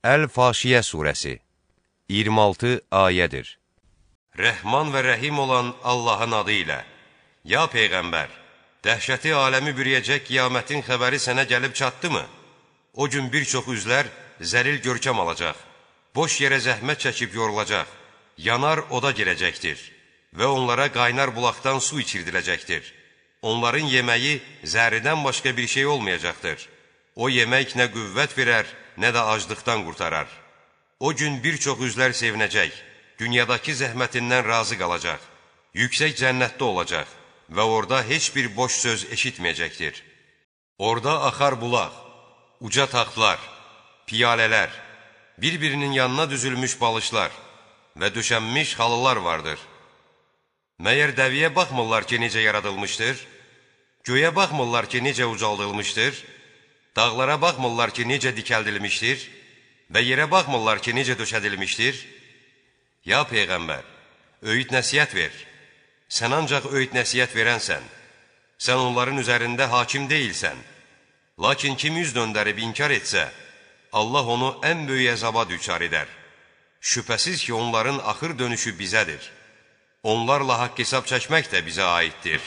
Əl-Faşiyə surəsi 26 ayədir. Rəhman və rəhim olan Allahın adı ilə. Ya Peyğəmbər, dəhşəti aləmi bürüyəcək qiyamətin xəbəri sənə gəlib çatdımı? O gün bir çox üzlər zəlil görkəm alacaq, boş yerə zəhmət çəkib yorulacaq, yanar oda girəcəkdir və onlara qaynar bulaqdan su içirdiləcəkdir. Onların yeməyi zəhridən başqa bir şey olmayacaqdır. O yemək nə qüvvət verər, nə də aclıqdan qurtarar. O gün bir çox üzlər sevinəcək, dünyadakı zəhmətindən razı qalacaq, yüksək cənnətdə olacaq və orada heç bir boş söz eşitməyəcəkdir. Orada axar bulaq, uca taxtlar, piyalələr, bir-birinin yanına düzülmüş balışlar və döşənmiş halılar vardır. Məyər dəviyə baxmırlar ki, necə yaradılmışdır? Göyə baxmırlar ki, necə ucaldılmışdır? Dağlara baxmırlar ki, necə dikəldilmişdir? Və yerə baxmırlar ki, necə döşədilmişdir? Ya Peyğəmbər, öyüd nəsiyyət ver. Sən ancaq öyüd nəsiyyət verənsən. Sən onların üzərində hakim deyilsən. Lakin kim yüz döndərib inkar etsə, Allah onu ən böyük əzaba düçar edər. Şübhəsiz ki, onların axır dönüşü bizədir. Onlarla haqq hesab çəkmək də bizə aiddir.